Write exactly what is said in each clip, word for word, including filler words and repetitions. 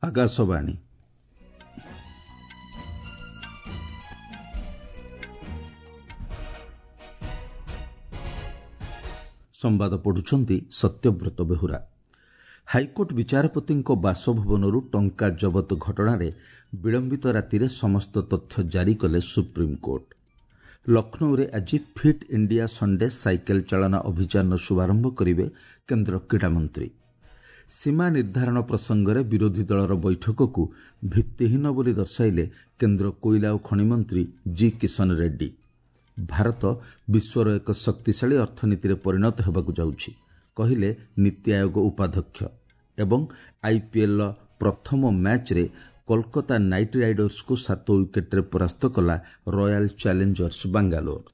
ଆକାଶବାଣୀ। ସମ୍ବାଦ ପଢୁଛନ୍ତି ସତ୍ୟବ୍ରତ ବେହୁରା। ହାଇକୋର୍ଟ ବିଚାରପତିଙ୍କ ବାସଭବନରୁ ଟଙ୍କା ଜବତ ଘଟଣାରେ ବିଳମ୍ବିତ ରାତିରେ ସମସ୍ତ ତଥ୍ୟ ଜାରି କଲେ ସୁପ୍ରିମକୋର୍ଟ। ଲକ୍ଷ୍ନୌରେ ଆଜି ଫିଟ୍ ଇଣ୍ଡିଆ ସଣ୍ଡେ ସାଇକେଲ ଚାଳନା ଅଭିଯାନର ଶୁଭାରମ୍ଭ କରିବେ କେନ୍ଦ୍ର କ୍ରୀଡ଼ାମନ୍ତ୍ରୀ। ସୀମା ନିର୍ଦ୍ଧାରଣ ପ୍ରସଙ୍ଗରେ ବିରୋଧୀ ଦଳର ବୈଠକକୁ ଭିତ୍ତିହୀନ ବୋଲି ଦର୍ଶାଇଲେ କେନ୍ଦ୍ର କୋଇଲା ଓ ଖଣିମନ୍ତ୍ରୀ ଜି କିଶନ ରେଡ୍ଡି। ଭାରତ ବିଶ୍ୱର ଏକ ଶକ୍ତିଶାଳୀ ଅର୍ଥନୀତିରେ ପରିଣତ ହେବାକୁ ଯାଉଛି, କହିଲେ ନୀତି ଆୟୋଗ ଉପାଧ୍ୟକ୍ଷ। ଏବଂ ଆଇପିଏଲ୍ର ପ୍ରଥମ ମ୍ୟାଚ୍ରେ କୋଲକାତା ନାଇଟ୍ ରାଇଡର୍ସକୁ ସାତ ୱିକେଟ୍ରେ ପରାସ୍ତ କଲା ରୟାଲ ଚ୍ୟାଲେଞ୍ଜର୍ସ ବାଙ୍ଗାଲୋର।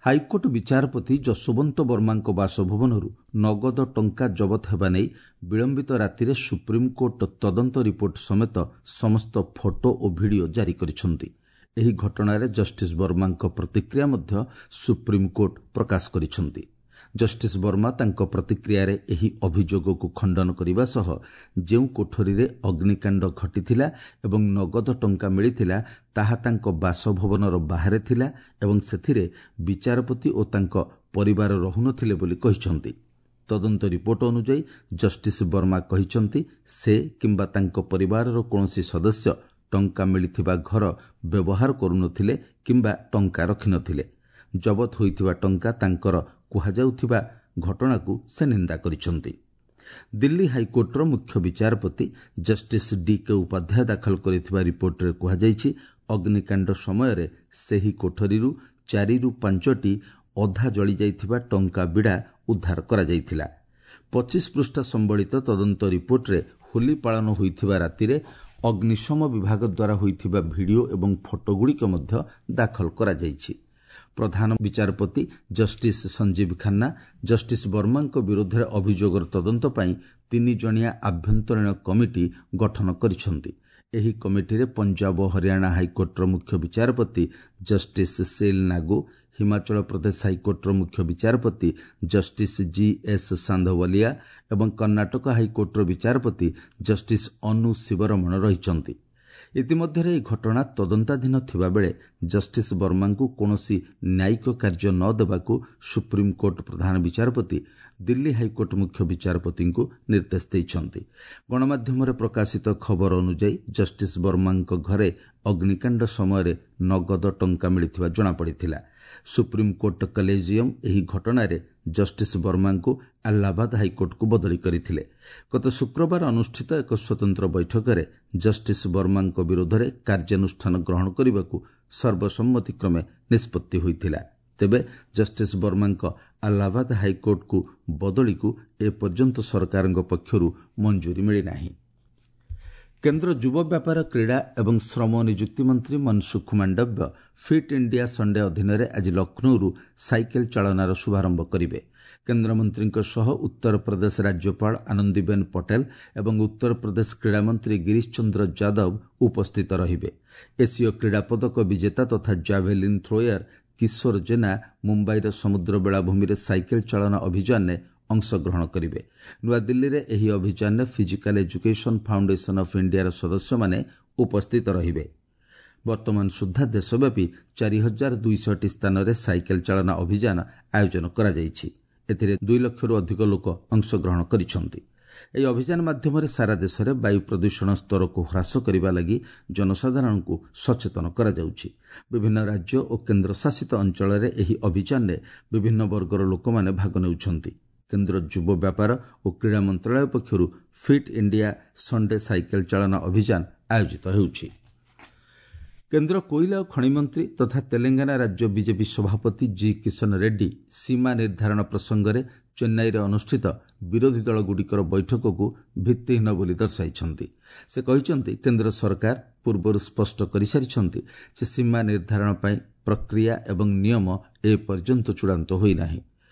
ହାଇକୋର୍ଟ ବିଚାରପତି ଯଶୋବନ୍ତ ବର୍ମାଙ୍କ ବାସଭବନରୁ ନଗଦ ଟଙ୍କା ଜବତ ହେବା ନେଇ ବିଳମ୍ବିତ ରାତିରେ ସୁପ୍ରିମକୋର୍ଟ ତଦନ୍ତ ରିପୋର୍ଟ ସମେତ ସମସ୍ତ ଫଟୋ ଓ ଭିଡିଓ ଜାରି କରିଛନ୍ତି। ଏହି ଘଟଣାରେ ଜଷ୍ଟିସ୍ ବର୍ମାଙ୍କ ପ୍ରତିକ୍ରିୟା ମଧ୍ୟ ସୁପ୍ରିମକୋର୍ଟ ପ୍ରକାଶ କରିଛନ୍ତି। ଜଷ୍ଟିସ୍ ବର୍ମା ତାଙ୍କ ପ୍ରତିକ୍ରିୟାରେ ଏହି ଅଭିଯୋଗକୁ ଖଣ୍ଡନ କରିବା ସହ ଯେଉଁ କୋଠରୀରେ ଅଗ୍ନିକାଣ୍ଡ ଘଟିଥିଲା ଏବଂ ନଗଦ ଟଙ୍କା ମିଳିଥିଲା ତାହା ତାଙ୍କ ବାସଭବନର ବାହାରେ ଥିଲା ଏବଂ ସେଥିରେ ବିଚାରପତି ଓ ତାଙ୍କ ପରିବାର ରହୁନଥିଲେ ବୋଲି କହିଛନ୍ତି। ତଦନ୍ତ ରିପୋର୍ଟ ଅନୁଯାୟୀ ଜଷ୍ଟିସ୍ ବର୍ମା କହିଛନ୍ତି, ସେ କିମ୍ବା ତାଙ୍କ ପରିବାରର କୌଣସି ସଦସ୍ୟ ଟଙ୍କା ମିଳିଥିବା ଘର ବ୍ୟବହାର କରୁନଥିଲେ କିମ୍ବା ଟଙ୍କା ରଖିନଥିଲେ। ଜବତ ହୋଇଥିବା ଟଙ୍କା ତାଙ୍କର କୁହାଯାଉଥିବା ଘଟଣାକୁ ସେ ନିନ୍ଦା କରିଛନ୍ତି। ଦିଲ୍ଲୀ ହାଇକୋର୍ଟର ମୁଖ୍ୟ ବିଚାରପତି ଜଷ୍ଟିସ୍ ଡି କେ ଉପାଧ୍ୟାୟ ଦାଖଲ କରିଥିବା ରିପୋର୍ଟରେ କୁହାଯାଇଛି, ଅଗ୍ନିକାଣ୍ଡ ସମୟରେ ସେହି କୋଠରୀରୁ ଚାରିରୁ ପାଞ୍ଚଟି ଅଧା ଜଳିଯାଇଥିବା ଟଙ୍କା ବିଡ଼ା ଉଦ୍ଧାର କରାଯାଇଥିଲା। ପଚିଶ ପୃଷ୍ଠା ସମ୍ବଳିତ ତଦନ୍ତ ରିପୋର୍ଟରେ ହୋଲି ପାଳନ ହୋଇଥିବା ରାତିରେ ଅଗ୍ନିଶମ ବିଭାଗ ଦ୍ୱାରା ହୋଇଥିବା ଭିଡିଓ ଏବଂ ଫଟୋଗୁଡ଼ିକ ମଧ୍ୟ ଦାଖଲ କରାଯାଇଛି। ପ୍ରଧାନ ବିଚାରପତି ଜଷ୍ଟିସ୍ ସଞ୍ଜୀବ ଖାନ୍ନା ଜଷ୍ଟିସ୍ ବର୍ମାଙ୍କ ବିରୋଧରେ ଅଭିଯୋଗର ତଦନ୍ତ ପାଇଁ ତିନି ଜଣିଆ ଆଭ୍ୟନ୍ତରୀଣ କମିଟି ଗଠନ କରିଛନ୍ତି। ଏହି କମିଟିରେ ପଞ୍ଜାବ ଓ ହରିୟାଣା ହାଇକୋର୍ଟର ମୁଖ୍ୟ ବିଚାରପତି ଜଷ୍ଟିସ୍ ସେଲ୍ ନାଗୁ, ହିମାଚଳ ପ୍ରଦେଶ ହାଇକୋର୍ଟର ମୁଖ୍ୟ ବିଚାରପତି ଜଷ୍ଟିସ୍ ଜି ଏସ୍ ସାନ୍ଧୱାଲିଆ ଏବଂ କର୍ଣ୍ଣାଟକ ହାଇକୋର୍ଟର ବିଚାରପତି ଜଷ୍ଟିସ୍ ଅନୁ ଶିବରମଣ ରହିଛନ୍ତି। ଇତିମଧ୍ୟରେ ଏହି ଘଟଣା ତଦନ୍ତାଧୀନ ଥିବାବେଳେ ଜଷ୍ଟିସ୍ ବର୍ମାଙ୍କୁ କୌଣସି ନ୍ୟାୟିକ କାର୍ଯ୍ୟ ନ ଦେବାକୁ ସୁପ୍ରିମକୋର୍ଟ ପ୍ରଧାନ ବିଚାରପତି ଦିଲ୍ଲୀ ହାଇକୋର୍ଟ ମୁଖ୍ୟ ବିଚାରପତିଙ୍କୁ ନିର୍ଦ୍ଦେଶ ଦେଇଛନ୍ତି। ଗଣମାଧ୍ୟମରେ ପ୍ରକାଶିତ ଖବର ଅନୁଯାୟୀ ଜଷ୍ଟିସ୍ ବର୍ମାଙ୍କ ଘରେ ଅଗ୍ନିକାଣ୍ଡ ସମୟରେ ନଗଦ ଟଙ୍କା ମିଳିଥିବା ଜଣାପଡ଼ିଥିଲା। ସୁପ୍ରିମକୋର୍ଟ କଲେଜିୟମ୍ ଏହି ଘଟଣାରେ ଜଷ୍ଟିସ୍ ବର୍ମାଙ୍କୁ ଆହ୍ଲାବାଦ ହାଇକୋର୍ଟକୁ ବଦଳି କରିଥିଲେ। ଗତ ଶୁକ୍ରବାର ଅନୁଷ୍ଠିତ ଏକ ସ୍ୱତନ୍ତ୍ର ବୈଠକରେ ଜଷ୍ଟିସ୍ ବର୍ମାଙ୍କ ବିରୋଧରେ କାର୍ଯ୍ୟାନୁଷ୍ଠାନ ଗ୍ରହଣ କରିବାକୁ ସର୍ବସମ୍ମତିକ୍ରମେ ନିଷ୍ପତ୍ତି ହୋଇଥିଲା। ତେବେ ଜଷ୍ଟିସ୍ ବର୍ମାଙ୍କ ଆହ୍ଲାବାଦ ହାଇକୋର୍ଟକୁ ବଦଳିକୁ ଏପର୍ଯ୍ୟନ୍ତ ସରକାରଙ୍କ ପକ୍ଷରୁ ମଞ୍ଜୁରୀ ମିଳିନାହିଁ। କେନ୍ଦ୍ର ଯୁବ ବ୍ୟାପାର, କ୍ରୀଡ଼ା ଏବଂ ଶ୍ରମ ନିଯୁକ୍ତି ମନ୍ତ୍ରୀ Mansukh Mandaviya fit India Sunday ଅଧୀନରେ ଆଜି ଲକ୍ଷ୍ନୌରୁ ସାଇକେଲ ଚାଳନାର ଶୁଭାରମ୍ଭ କରିବେ। କେନ୍ଦ୍ରମନ୍ତ୍ରୀଙ୍କ ସହ ଉତ୍ତରପ୍ରଦେଶ ରାଜ୍ୟପାଳ ଆନନ୍ଦିବେନ ପଟେଲ ଏବଂ ଉତ୍ତରପ୍ରଦେଶ କ୍ରୀଡ଼ାମନ୍ତ୍ରୀ ଗିରିଶ ଚନ୍ଦ୍ର ଯାଦବ ଉପସ୍ଥିତ ରହିବେ। ଏସୀୟ କ୍ରୀଡ଼ା ପଦକ ବିଜେତା ତଥା ଜାଭେଲିନ୍ ଥ୍ରୋୟର କିଶୋର ଜେନା ମୁମ୍ବାଇର ସମୁଦ୍ର ବେଳାଭୂମିରେ ସାଇକେଲ ଚାଳନା ଅଭିଯାନରେ ଅଂଶଗ୍ରହଣ କରିବେ। ନୂଆଦିଲ୍ଲୀରେ ଏହି ଅଭିଯାନରେ ଫିଜିକାଲ ଏଜୁକେସନ୍ ଫାଉଣ୍ଡେସନ୍ ଅଫ୍ ଇଣ୍ଡିଆର ସଦସ୍ୟମାନେ ଉପସ୍ଥିତ ରହିବେ। ବର୍ତ୍ତମାନ ସୁଦ୍ଧା ଦେଶବ୍ୟାପୀ ଚାରି ହଜାର ଦୁଇଶହଟି ସ୍ଥାନରେ ସାଇକେଲ ଚାଳନା ଅଭିଯାନ ଆୟୋଜନ କରାଯାଇଛି। ଏଥିରେ ଦୁଇ ଲକ୍ଷରୁ ଅଧିକ ଲୋକ ଅଂଶଗ୍ରହଣ କରିଛନ୍ତି। ଏହି ଅଭିଯାନ ମାଧ୍ୟମରେ ସାରା ଦେଶରେ ବାୟୁ ପ୍ରଦୂଷଣ ସ୍ତରକୁ ହ୍ରାସ କରିବା ଲାଗି ଜନସାଧାରଣଙ୍କୁ ସଚେତନ କରାଯାଉଛି। ବିଭିନ୍ନ ରାଜ୍ୟ ଓ କେନ୍ଦ୍ରଶାସିତ ଅଞ୍ଚଳରେ ଏହି ଅଭିଯାନରେ ବିଭିନ୍ନ ବର୍ଗର ଲୋକମାନେ ଭାଗ ନେଉଛନ୍ତି। କେନ୍ଦ୍ର ଯୁବ ବ୍ୟାପାର ଓ କ୍ରୀଡ଼ା ମନ୍ତ୍ରଣାଳୟ ପକ୍ଷରୁ ଫିଟ୍ ଇଣ୍ଡିଆ ସଣ୍ଡେ ସାଇକେଲ ଚାଳନା ଅଭିଯାନ ଆୟୋଜିତ ହେଉଛି। କେନ୍ଦ୍ର କୋଇଲା ଓ ଖଣିମନ୍ତ୍ରୀ ତଥା ତେଲେଙ୍ଗାନା ରାଜ୍ୟ ବିଜେପି ସଭାପତି ଜି କିଶନ ରେଡ୍ଡି ସୀମା ନିର୍ଦ୍ଧାରଣ ପ୍ରସଙ୍ଗରେ ଚେନ୍ନାଇରେ ଅନୁଷ୍ଠିତ ବିରୋଧୀ ଦଳଗୁଡ଼ିକର ବୈଠକକୁ ଭିତ୍ତିହୀନ ବୋଲି ଦର୍ଶାଇଛନ୍ତି। ସେ କହିଛନ୍ତି, କେନ୍ଦ୍ର ସରକାର ପୂର୍ବରୁ ସ୍ପଷ୍ଟ କରିସାରିଛନ୍ତି ଯେ ସୀମା ନିର୍ଦ୍ଧାରଣ ପାଇଁ ପ୍ରକ୍ରିୟା ଏବଂ ନିୟମ ଏପର୍ଯ୍ୟନ୍ତ ଚୂଡ଼ାନ୍ତ ହୋଇନାହିଁ।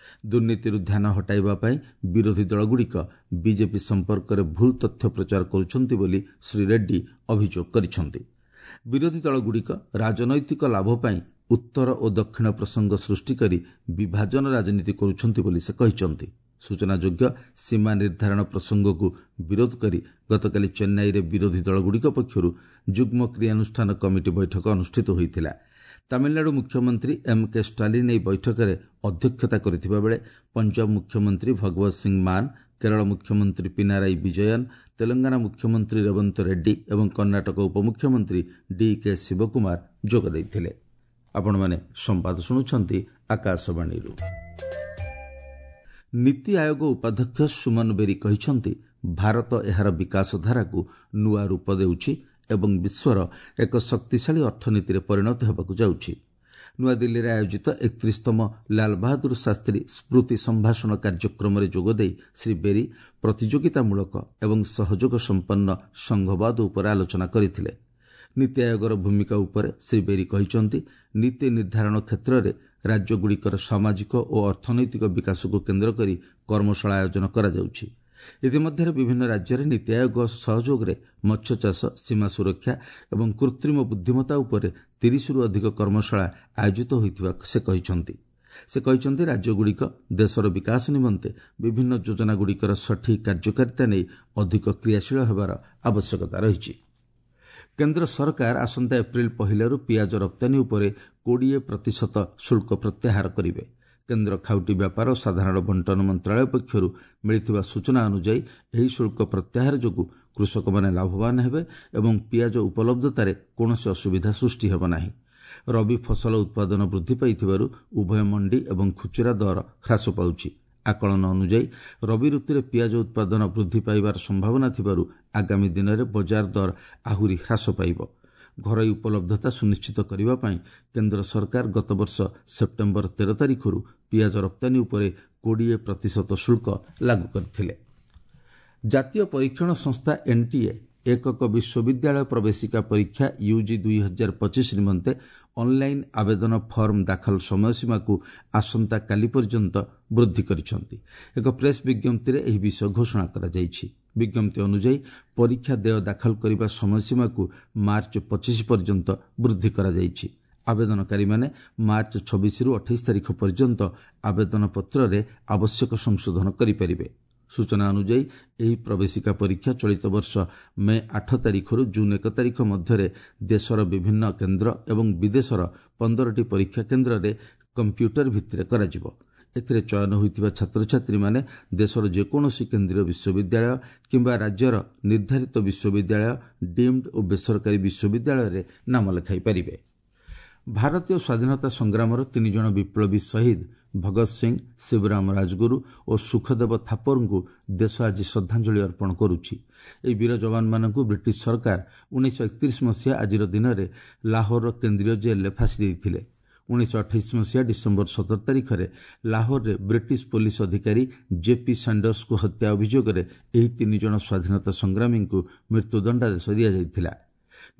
ଦୁର୍ନୀତିରୁ ଧ୍ୟାନ ହଟାଇବା ପାଇଁ ବିରୋଧୀ ଦଳଗୁଡ଼ିକ ବିଜେପି ସମ୍ପର୍କରେ ଭୁଲ ତଥ୍ୟ ପ୍ରଚାର କରୁଛନ୍ତି ବୋଲି ଶ୍ରୀ ରେଡ୍ଡି ଅଭିଯୋଗ କରିଛନ୍ତି। ବିରୋଧୀ ଦଳଗୁଡ଼ିକ ରାଜନୈତିକ ଲାଭ ପାଇଁ ଉତ୍ତର ଓ ଦକ୍ଷିଣ ପ୍ରସଙ୍ଗ ସୃଷ୍ଟି କରି ବିଭାଜନ ରାଜନୀତି କରୁଛନ୍ତି ବୋଲି ସେ କହିଛନ୍ତି। ସୂଚନାଯୋଗ୍ୟ, ସୀମା ନିର୍ଦ୍ଧାରଣ ପ୍ରସଙ୍ଗକୁ ବିରୋଧ କରି ଗତକାଲି ଚେନ୍ନାଇରେ ବିରୋଧୀ ଦଳଗୁଡ଼ିକ ପକ୍ଷରୁ ଯୁଗ୍ମ କ୍ରିୟାନୁଷ୍ଠାନ କମିଟି ବୈଠକ ଅନୁଷ୍ଠିତ ହୋଇଥିଲା। ତାମିଲନାଡୁ ମୁଖ୍ୟମନ୍ତ୍ରୀ ଏମ୍ କେ ଷ୍ଟାଲିନ୍ ଏହି ବୈଠକରେ ଅଧ୍ୟକ୍ଷତା କରିଥିବା ବେଳେ ପଞ୍ଜାବ ମୁଖ୍ୟମନ୍ତ୍ରୀ ଭଗବତ ସିଂ ମାନ, କେରଳ ମୁଖ୍ୟମନ୍ତ୍ରୀ ପିନାରାଇ ବିଜୟନ୍, ତେଲଙ୍ଗାନା ମୁଖ୍ୟମନ୍ତ୍ରୀ ରେବନ୍ତ ରେଡ୍ଡି ଏବଂ କର୍ଣ୍ଣାଟକ ଉପମୁଖ୍ୟମନ୍ତ୍ରୀ ଡି କେ ଶିବକୁମାର ଯୋଗ ଦେଇଥିଲେ। ଆପଣମାନେ ସମ୍ବାଦ ଶୁଣୁଛନ୍ତି ଆକାଶବାଣୀରୁ। ନୀତି ଆୟୋଗ ଉପାଧ୍ୟକ୍ଷ ସୁମନ ବେରୀ କହିଛନ୍ତି, ଭାରତ ଏହାର ବିକାଶଧାରାକୁ ନୂଆ ରୂପ ଦେଉଛି ଏବଂ ବିଶ୍ୱର ଏକ ଶକ୍ତିଶାଳୀ ଅର୍ଥନୀତିରେ ପରିଣତ ହେବାକୁ ଯାଉଛି। ନୂଆଦିଲ୍ଲୀରେ ଆୟୋଜିତ ଏକତିରିଶତମ ଲାଲବାହାଦୁର ଶାସ୍ତ୍ରୀ ସ୍ମୃତି ସମ୍ଭାଷଣ କାର୍ଯ୍ୟକ୍ରମରେ ଯୋଗଦେଇ ଶ୍ରୀ ବେରୀ ପ୍ରତିଯୋଗିତାମୂଳକ ଏବଂ ସହଯୋଗ ସମ୍ପନ୍ନ ସଂଘବାଦ ଉପରେ ଆଲୋଚନା କରିଥିଲେ। ନୀତି ଆୟୋଗର ଭୂମିକା ଉପରେ ଶ୍ରୀ ବେରୀ କହିଛନ୍ତି, ନୀତି ନିର୍ଦ୍ଧାରଣ କ୍ଷେତ୍ରରେ ରାଜ୍ୟଗୁଡ଼ିକର ସାମାଜିକ ଓ ଅର୍ଥନୈତିକ ବିକାଶକୁ କେନ୍ଦ୍ର କରି କର୍ମଶାଳା ଆୟୋଜନ କରାଯାଉଛି। ଇତିମଧ୍ୟରେ ବିଭିନ୍ନ ରାଜ୍ୟରେ ନୀତି ଆୟୋଗ ସହଯୋଗରେ ମତ୍ସ୍ୟଚାଷ, ସୀମା ସୁରକ୍ଷା ଏବଂ କୃତ୍ରିମ ବୁଦ୍ଧିମତ୍ତା ଉପରେ ତିରିଶରୁ ଅଧିକ କର୍ମଶାଳା ଆୟୋଜିତ ହୋଇଥିବା ସେ କହିଛନ୍ତି। ସେ କହିଛନ୍ତି, ରାଜ୍ୟଗୁଡ଼ିକ ଦେଶର ବିକାଶ ନିମନ୍ତେ ବିଭିନ୍ନ ଯୋଜନାଗୁଡ଼ିକର ସଠିକ୍ କାର୍ଯ୍ୟକାରିତା ନେଇ ଅଧିକ କ୍ରିୟାଶୀଳ ହେବାର ଆବଶ୍ୟକତା ରହିଛି। କେନ୍ଦ୍ର ସରକାର ଆସନ୍ତା ଏପ୍ରିଲ ପହିଲାରୁ ପିଆଜ ରପ୍ତାନୀ ଉପରେ କୋଡ଼ିଏ ପ୍ରତିଶତ ଶୁଳ୍କ ପ୍ରତ୍ୟାହାର କରିବେ। କେନ୍ଦ୍ର ଖାଉଟି ବ୍ୟାପାର ଓ ସାଧାରଣ ବଣ୍ଟନ ମନ୍ତ୍ରାଳୟ ପକ୍ଷରୁ ମିଳିଥିବା ସୂଚନା ଅନୁଯାୟୀ ଏହି ଶୁଳ୍କ ପ୍ରତ୍ୟାହାର ଯୋଗୁଁ କୃଷକମାନେ ଲାଭବାନ ହେବେ ଏବଂ ପିଆଜ ଉପଲବ୍ଧତାରେ କୌଣସି ଅସୁବିଧା ସୃଷ୍ଟି ହେବ ନାହିଁ। ରବି ଫସଲ ଉତ୍ପାଦନ ବୃଦ୍ଧି ପାଇଥିବାରୁ ଉଭୟ ମଣ୍ଡି ଏବଂ ଖୁଚୁରା ଦର ହ୍ରାସ ପାଉଛି। ଆକଳନ ଅନୁଯାୟୀ ରବି ଋତୁରେ ପିଆଜ ଉତ୍ପାଦନ ବୃଦ୍ଧି ପାଇବାର ସମ୍ଭାବନା ଥିବାରୁ ଆଗାମୀ ଦିନରେ ବଜାର ଦର ଆହୁରି ହ୍ରାସ ପାଇବ। ଘରୋଇ ଉପଲବ୍ଧତା ସୁନିଶ୍ଚିତ କରିବା ପାଇଁ କେନ୍ଦ୍ର ସରକାର ଗତବର୍ଷ ସେପ୍ଟେମ୍ବର ତେର ତାରିଖରୁ ପିଆଜ ରପ୍ତାନୀ ଉପରେ କୋଡ଼ିଏ ପ୍ରତିଶତ ଶୁଳ୍କ ଲାଗୁ କରିଥିଲେ। ଜାତୀୟ ପରୀକ୍ଷଣ ସଂସ୍ଥା ଏନ୍ଟିଏ ଏକକ ବିଶ୍ୱବିଦ୍ୟାଳୟ ପ୍ରବେଶିକା ପରୀକ୍ଷା ୟୁଜି ଦୁଇ ହଜାର ପଚିଶ ନିମନ୍ତେ ଅନ୍ଲାଇନ୍ ଆବେଦନ ଫର୍ମ ଦାଖଲ ସମୟସୀମାକୁ ଆସନ୍ତାକାଲି ପର୍ଯ୍ୟନ୍ତ ବୃଦ୍ଧି କରିଛନ୍ତି। ଏକ ପ୍ରେସ୍ ବିଜ୍ଞପ୍ତିରେ ଏହି ବିଷୟ ଘୋଷଣା କରାଯାଇଛି। ବିଜ୍ଞପ୍ତି ଅନୁଯାୟୀ ପରୀକ୍ଷା ଦେୟ ଦାଖଲ କରିବା ସମୟସୀମାକୁ ମାର୍ଚ୍ଚ ପଚିଶ ପର୍ଯ୍ୟନ୍ତ ବୃଦ୍ଧି କରାଯାଇଛି। ଆବେଦନକାରୀମାନେ ମାର୍ଚ୍ଚ ଛବିଶରୁ ଅଠେଇଶ ତାରିଖ ପର୍ଯ୍ୟନ୍ତ ଆବେଦନପତ୍ରରେ ଆବଶ୍ୟକ ସଂଶୋଧନ କରିପାରିବେ। ସୂଚନା ଅନୁଯାୟୀ ଏହି ପ୍ରବେଶିକା ପରୀକ୍ଷା ଚଳିତ ବର୍ଷ ମେ ଆଠ ତାରିଖରୁ ଜୁନ୍ ଏକ ତାରିଖ ମଧ୍ୟରେ ଦେଶର ବିଭିନ୍ନ କେନ୍ଦ୍ର ଏବଂ ବିଦେଶର ପନ୍ଦରଟି ପରୀକ୍ଷା କେନ୍ଦ୍ରରେ କମ୍ପ୍ୟୁଟର ଭିତ୍ତିରେ କରାଯିବ। ଏଥିରେ ଚୟନ ହୋଇଥିବା ଛାତ୍ରଛାତ୍ରୀମାନେ ଦେଶର ଯେକୌଣସି କେନ୍ଦ୍ରୀୟ ବିଶ୍ୱବିଦ୍ୟାଳୟ କିମ୍ବା ରାଜ୍ୟର ନିର୍ଦ୍ଧାରିତ ବିଶ୍ୱବିଦ୍ୟାଳୟ, ଡିମ୍ଡ ଓ ବେସରକାରୀ ବିଶ୍ୱବିଦ୍ୟାଳୟରେ ନାମ ଲେଖାଇ ପାରିବେ। ଭାରତୀୟ ସ୍ୱାଧୀନତା ସଂଗ୍ରାମର ତିନି ଜଣ ବିପ୍ଳବୀ ଶହୀଦ ଭଗତ ସିଂ, ଶିବରାମ ରାଜଗୁରୁ ଓ ସୁଖଦେବ ଥାପରଙ୍କୁ ଦେଶ ଆଜି ଶ୍ରଦ୍ଧାଞ୍ଜଳି ଅର୍ପଣ କରୁଛି। ଏହି ବୀର ଯବାନମାନଙ୍କୁ ବ୍ରିଟିଶ ସରକାର ଉଣେଇଶହ ଏକତିରିଶ ମସିହା ଆଜିର ଦିନରେ ଲାହୋରର କେନ୍ଦ୍ରୀୟ ଜେଲ୍ରେ ଫାଶୀ ଦେଇଥିଲେ। ଉଣେଇଶହ ଅଠେଇଶ ମସିହା ଡିସେମ୍ବର ସତର ତାରିଖରେ ଲାହୋରରେ ବ୍ରିଟିଶ ପୋଲିସ ଅଧିକାରୀ ଜେପି ସାଣ୍ଡର୍ସଙ୍କୁ ହତ୍ୟା ଅଭିଯୋଗରେ ଏହି ତିନି ଜଣ ସ୍ୱାଧୀନତା ସଂଗ୍ରାମୀଙ୍କୁ ମୃତ୍ୟୁଦଣ୍ଡାଦେଶ ଦିଆଯାଇଥିଲା।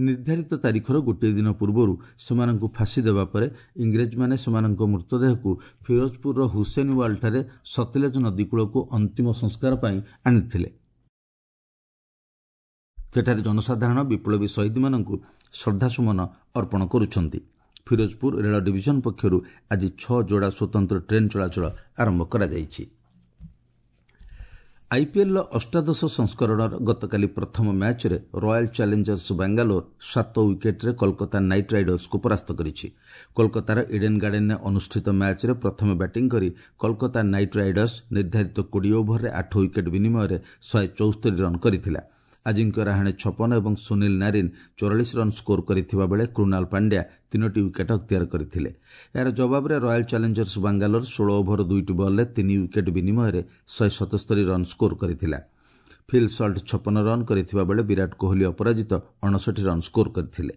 ନିର୍ଦ୍ଧାରିତ ତାରିଖର ଗୋଟିଏ ଦିନ ପୂର୍ବରୁ ସେମାନଙ୍କୁ ଫାଶୀ ଦେବା ପରେ ଇଂରେଜମାନେ ସେମାନଙ୍କ ମୃତଦେହକୁ ଫିରୋଜପୁରର ହୁସେନୱାଲଠାରେ ସତଲେଜ ନଦୀକୂଳକୁ ଅନ୍ତିମ ସଂସ୍କାର ପାଇଁ ଆଣିଥିଲେ। ସେଠାରେ ଜନସାଧାରଣ ବିପ୍ଳବୀ ଶହୀଦମାନଙ୍କୁ ଶ୍ରଦ୍ଧାସୁମନ ଅର୍ପଣ କରୁଛନ୍ତି। ଫିରୋଜପୁର ରେଳ ଡିଭିଜନ ପକ୍ଷରୁ ଆଜି ଛଅ ଯୋଡ଼ା ସ୍ୱତନ୍ତ୍ର ଟ୍ରେନ୍ ଚଳାଚଳ ଆରମ୍ଭ କରାଯାଇଛି। ଆଇପିଏଲ୍ର ଅଷ୍ଟାଦଶ ସଂସ୍କରଣର ଗତକାଲି ପ୍ରଥମ ମ୍ୟାଚ୍ରେ ରୟାଲ୍ ଚ୍ୟାଲେଞ୍ଜର୍ସ ବାଙ୍ଗାଲୋର ସାତ ୱିକେଟ୍ରେ କୋଲକାତା ନାଇଟ୍ ରାଇଡର୍ସକୁ ପରାସ୍ତ କରିଛି। କୋଲକାତାର ଇଡେନ୍ ଗାର୍ଡେନ୍ରେ ଅନୁଷ୍ଠିତ ମ୍ୟାଚ୍ରେ ପ୍ରଥମେ ବ୍ୟାଟିଂ କରି କୋଲକାତା ନାଇଟ୍ ରାଇଡର୍ସ ନିର୍ଦ୍ଧାରିତ କୋଡ଼ିଏ ଓଭରରେ ଆଠ ୱିକେଟ୍ ବିନିମୟରେ ଶହେ ଚଉସ୍ତରୀ ରନ୍ କରିଥିଲା। ଆଜିଙ୍କ୍ୟ ରାହାଣେ ଛପନ ଏବଂ ସୁନୀଲ ନାରିନ୍ ଚଉରାଳିଶ ରନ୍ ସ୍କୋର କରିଥିବା ବେଳେ କୃଣାଲ ପାଣ୍ଡ୍ୟା ତିନୋଟି ୱିକେଟ୍ ଅକ୍ତିଆର କରିଥିଲେ। ଏହାର ଜବାବରେ ରୟାଲ୍ ଚ୍ୟାଲେଞ୍ଜର୍ସ ବାଙ୍ଗାଲୋର ଷୋହଳ ଓଭର ଦୁଇଟି ବଲ୍ରେ ତିନି ୱିକେଟ୍ ବିନିମୟରେ ଶହେ ସତସ୍ତରୀ ରନ୍ ସ୍କୋର କରିଥିଲା। ଫିଲ୍ ସଲ୍ଟ ଛପନ ରନ୍ କରିଥିବା ବେଳେ ବିରାଟ କୋହଲି ଅପରାଜିତ ଅଣଷଠି ରନ୍ ସ୍କୋର କରିଥିଲେ।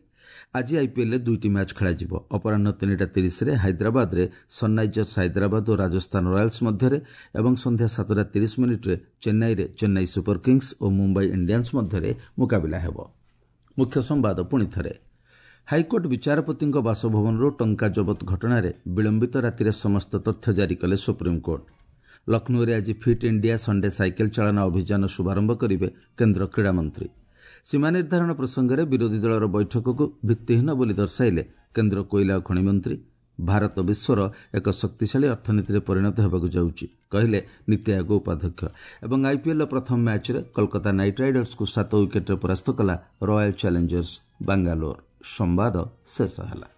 ଆଜି ଆଇପିଏଲ୍ରେ ଦୁଇଟି ମ୍ୟାଚ୍ ଖେଳାଯିବ। ଅପରାହ୍ନ ତିନିଟା ତିରିଶରେ ହାଇଦ୍ରାବାଦରେ ସନ୍ରାଇଜର୍ସ ହାଇଦ୍ରାବାଦ ଓ ରାଜସ୍ଥାନ ରୟାଲ୍ସ ମଧ୍ୟରେ ଏବଂ ସନ୍ଧ୍ୟା ସାତଟା ତିରିଶ ମିନିଟ୍ରେ ଚେନ୍ନାଇରେ ଚେନ୍ନାଇ ସୁପର କିଙ୍ଗସ୍ ଓ ମୁମ୍ବାଇ ଇଣ୍ଡିଆନ୍ସ ମଧ୍ୟରେ ମୁକାବିଲା ହେବ। ମୁଖ୍ୟ ସମ୍ବାଦ ପୁଣି ଥରେ। ହାଇକୋର୍ଟ ବିଚାରପତିଙ୍କ ବାସଭବନରୁ ଟଙ୍କା ଜବତ ଘଟଣାରେ ବିଳମ୍ବିତ ରାତିରେ ସମସ୍ତ ତଥ୍ୟ ଜାରି କଲେ ସୁପ୍ରିମକୋର୍ଟ। ଲକ୍ଷ୍ନୌରେ ଆଜି ଫିଟ୍ ଇଣ୍ଡିଆ ସଣ୍ଡେ ସାଇକେଲ ଚାଳନା ଅଭିଯାନ ଶୁଭାରମ୍ଭ କରିବେ କେନ୍ଦ୍ର କ୍ରୀଡ଼ାମନ୍ତ୍ରୀ। ସୀମା ନିର୍ଦ୍ଧାରଣ ପ୍ରସଙ୍ଗରେ ବିରୋଧୀ ଦଳର ବୈଠକକୁ ଭିତ୍ତିହୀନ ବୋଲି ଦର୍ଶାଇଲେ କେନ୍ଦ୍ର କୋଇଲା ଓ ଖଣି ମନ୍ତ୍ରୀ। ଭାରତ ବିଶ୍ୱର ଏକ ଶକ୍ତିଶାଳୀ ଅର୍ଥନୀତିରେ ପରିଣତ ହେବାକୁ ଯାଉଛି, କହିଲେ ନୀତି ଆୟୋଗ ଉପାଧ୍ୟକ୍ଷ। ଏବଂ ଆଇପିଏଲ୍ର ପ୍ରଥମ ମ୍ୟାଚ୍ରେ କୋଲକାତା ନାଇଟ୍ ରାଇଡର୍ସକୁ ସାତ ୱିକେଟ୍ରେ ପରାସ୍ତ କଲା ରୟାଲ୍ ଚ୍ୟାଲେଞ୍ଜର୍ସ ବାଙ୍ଗାଲୋର। ସମ୍ବାଦ ଶେଷ ହେଲା।